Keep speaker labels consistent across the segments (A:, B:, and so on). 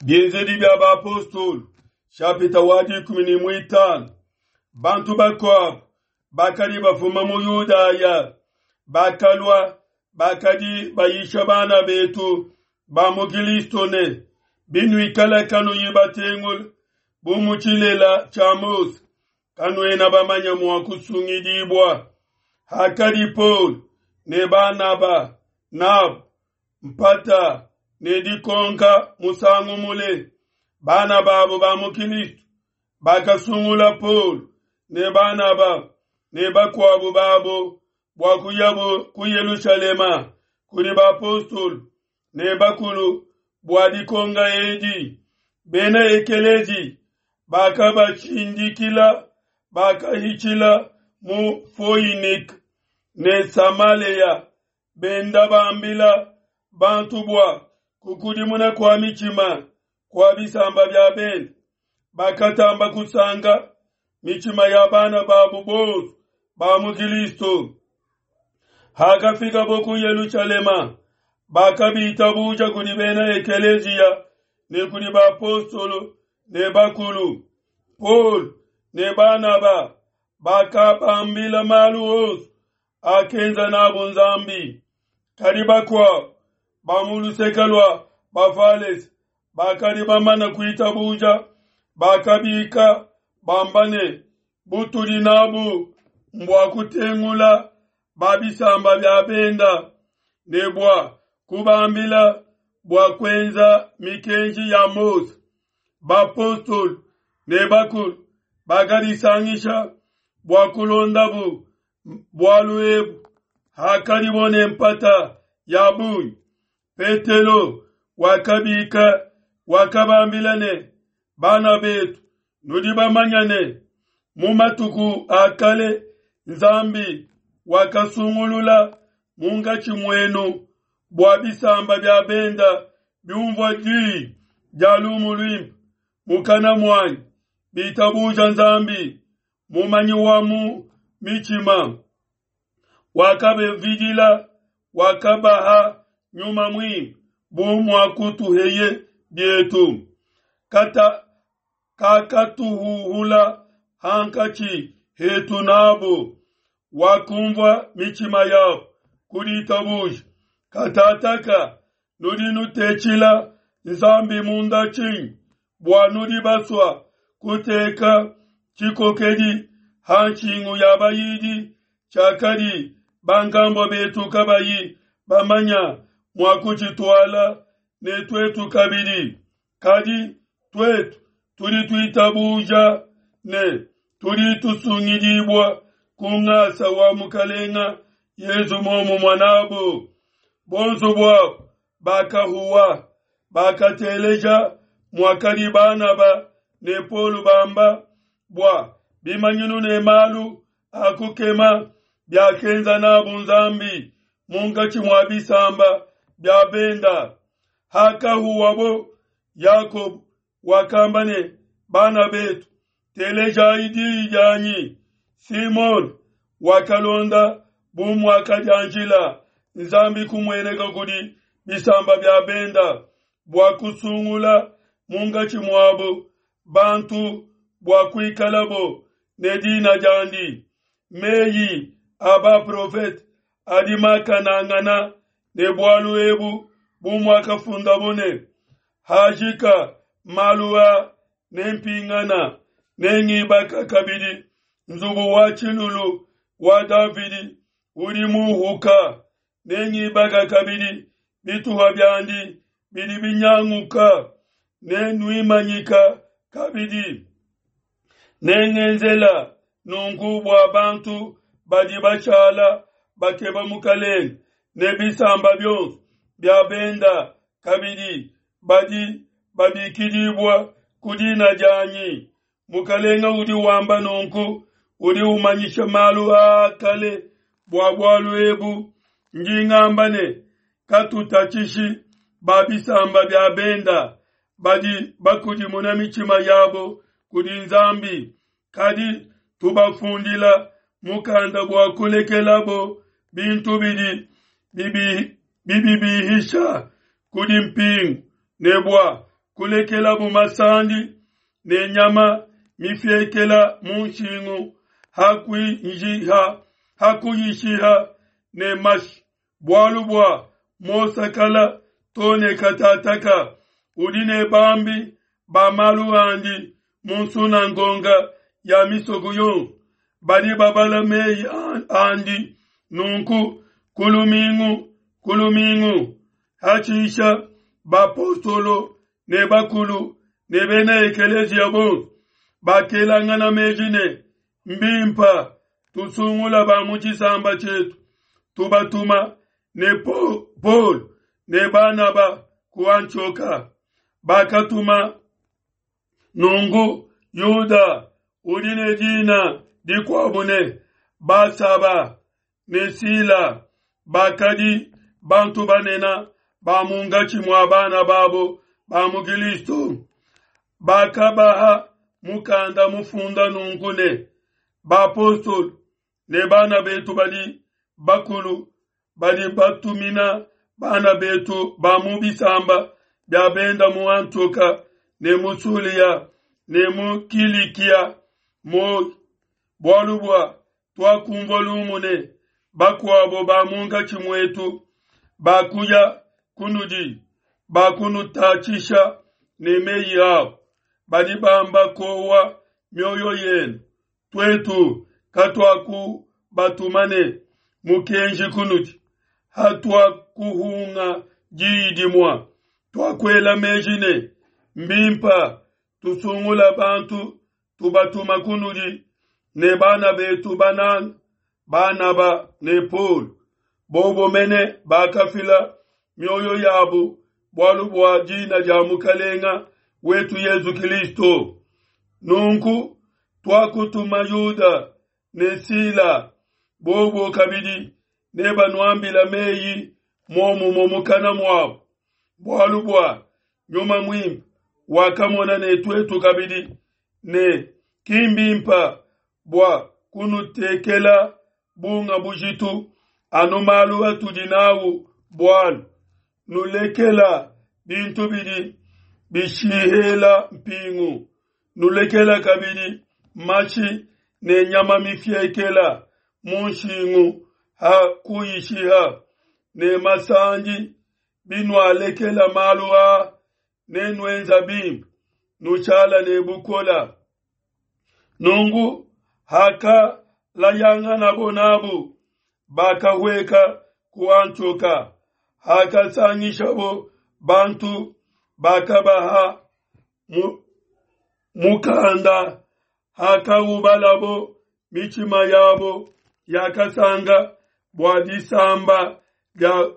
A: Bienzedi bia Bapostolo, shapita wa 15. Bantu bakuabu bakadi bafuma mu Yudaya bakalua, bakadi bayisha bana betu ba mu Kilisto ne, binuikala kanuyi batengula bu mu tshilela tshia Mose, kanuena bamanye mua kusungidibua. Hakadi Paulo ne Banaba nabu mpata ne dikonka musangu mule, bana babo ba mu Kilisto bakasungula Paulo ne Banaba ne bakuabu babo bua kuyabo ku Yelushalema kudi bapostolo ne bakulu bua dikonga edi. Bena ekelezi bakabashindikila, bakahitshila mu Foinike ne Samalea, benda bambila bantu bua kukudimuna kua mitshima kua bisamba bia bende. Bakatamba kusanka mitshima ya bana babu bonso ba mu Kilisto. Hakafikabo ku Yelushalema, bakabitabuja kudi bena ekeleziya ne kudi bapostolo ne bakulu. Paulo ne Banaba bakabambila malu onso akenza nabu Nzambi. Kadi bakuabu ba mu luseke lua Bafalese bakadi bamana kuitabuja, bakabika bamba ne, butudi nabu mbua kutengula ba bisamba bia benda ne bua kubambila bua kuenza mikenji ya Mose. Bapostolo ne bakulu bakadisangisha bua kulondabu bualu ebu. Hakadibo ne mpata ya bungi, Petelo wakabika, wakabambila ne, bana betu, nudi bamanya ne, mu matuku a kale Nzambi wakasungulula munkatshi muenu bua bisamba bia benda biumvua diyi dia lumu luimpe mukana muanyi, bitabuja Nzambi mumanyi wa mu mitshima, wakabavidila, wakabaha Nyuma Muimpe bu muakutuheye bietu. Kata kakatuhuhula hankatshi hetu nabo, wakumvua mitshima yabo ku ditabuja. Katataka nudi nutetshila Nzambi munda tshinyi, bua nudi basua kuteka tshikokedi ha nshingu ya bayidi tshiakadi bankambua betu kabayi bamanya mua kutshituala, ne tuetu kabidi. Kadi tuetu tudi tuitabuja ne tudi tusungidibua ku ngasa wa Mukalenga Yezu momumue nabo. Bonso buabo bakahuwa, bakateleja muakadi Banaba ne Paulo bamba bua bimanyinu ne malu a kukema biakenza nabu Nzambi munkatshi mua bisamba bia benda. Hakahuwabo, Yakobo wakamba ne, bana betu, telejayi diyi dianyi. Simone wakalonda bu muakadianjila Nzambi kumueneka kudi bisamba bia benda bua kusungula munkatshi muabo bantu bua kuikalabo ne dina diandi. Meyi a baprofete adi makanangana ne bualu ebu bu muakafundabo ne, hajika malu a nempingana, nengibaka kabidi nzubu wa tshilulu wa Davidi udi muhuka, nengibaka kabidi bituha biandi bidi binyanguka, nenuimanyika kabidi. Nengenzela nunku bua bantu badi bashala bakeba Mukalenge ne bisamba bionso bia benda kabidi badi babikidibua ku dina dianyi. Mukalenge udi wamba nunku, udi umanyisha malu aa kale bua bualu ebu. Ndi ngamba ne, katutatshishi ba bisamba bia benda badi bakudimuna mitshima yabo kudi Nzambi, kadi tubafundila mukanda bua kulekelabo bintu bidi bibibihisha kudi mpingu ne bua kulekelabu masandi ne nyama mifiekela mu nshingu hakuyishiha ne mashi, bualu bua mosakala to ne katataka udi ne bambi ba malu andi mu nsunangonga ya misoko yonso, badi babala meyi andi nunku ku lumingu ku lumingu. Hatshisha bapostolo ne bakulu ne bena ekeleziya bonso bakelangana meji ne, mbimpa tusungula ba mu tshisamba tshietu, tubatuma ne Paulo ne Banaba ku Antioka. Bakatuma nunku Yuda udi ne dina dikuabu ne Basaba ne Sila, bakadi bantu banene ba munkatshi mua bana babo ba mu Kilisto. Bakabaha mukanda mufunda nunku ne, bapostolo ne bana betu badi bakulu badi batumina bana betu ba mu bisamba bia benda mu Antioka ne mu Sulia ne mu Kilikia muoyo, bualu bua tuakumvua lumu ne bakuabo ba munkatshi muetu bakuya kunudi, bakunutatshisha ne meyi abo, badi bamba kowa mioyo yenu. Tuetu katuakubatuma ne mukenji kunudi, hatuakuhunga diyi dimue, tuakuela meji ne mbimpa tusungula bantu tubatuma kunudi ne bana betu bananga Banaba ne Paul, bobo mene bakafila mioyo yabu bualu bua dina dia Mukalenga wetu Yesu Kristo. Nunku tuakutuma Yuda ne Sila, bobo kabidi nebanuambila meyi muomumue mukana muabu, bualu bua Nyuma Muimpe wakamona ne tuetu kabidi ne ki mbimpa bua kunutekela bunga bujitu anu malu atudi nawu bualu nulekela bintu bidi bishihela mpingu, nulekela kabidi mashi ne nyama mifiekela mu nshingu ha kuyishiha ne masandi. Binualekela malu aa nenuenza bimpe, nushala ne bukola. Nunku hakalayanganabo nabu, bakahueka ku Antioka. Hakasangishabo bantu, bakabaha mukanda. Hakaubalabo, mitshima yabo yakasanga bua disamba dia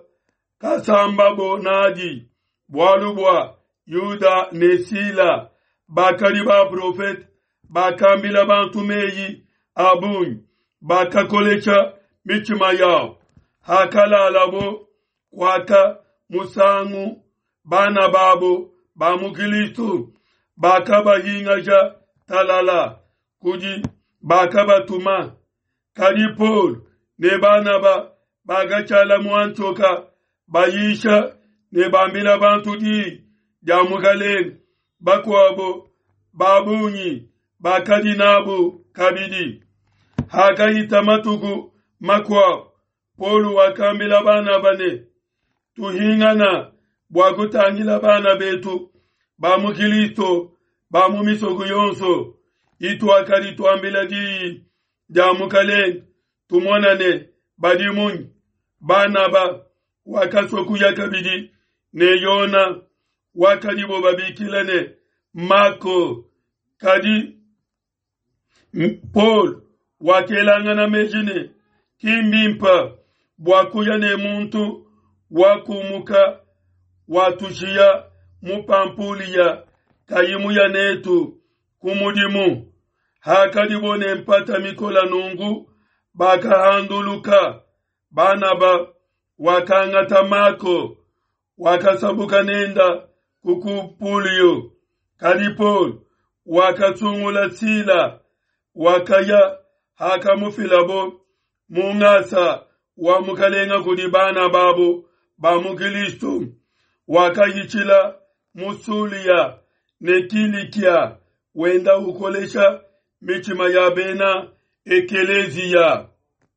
A: kasambabo nadi, bualu bua Yuda ne Sila bakadi baprofete, bakambila bantu meyi a bungi, bakakolesha mitshima yabo. Hakalalabo kuaka musangu, bana babo ba mu Kristo bakabahingaja talala kudi bakabatuma. Kadi Paul ne Banaba bakatshala mu Antioka bayisha ne bambila bantu diyi dia Mukalenge. Bakuabo ba bungi bakadi nabu kabidi. Hakahita matuku makuabo, Paul wakambila Banaba ne, tuhingana bua kutangila bana betu ba mu Kristo ba mu misoko yonso ituakadi tuambila diyi dia Mukalenge, tumona ne badi munyi. Banaba wakasua kuya kabidi ne Yona wakadibo babikila ne Mako, kadi Paul wakelangana meji ne ki mbimpe bua kuya ne muntu wakumuka watushiya mu Pampulia kayi muya netu ku mudimu. Hakadibo ne mpata mikola nunku, bakahanduluka. Banaba wakangata Mako, wakasabuka nenda ku Kupulio. Kadi Paul wakasungula Sila, wakaya hakamufilabo mu ngasa wa Mukalenga kudi bana babo ba mu Kristo. Wakahitshila mu Sulia ne Kilikia, wenda ukolesha mitshima ya bena ekeleziya.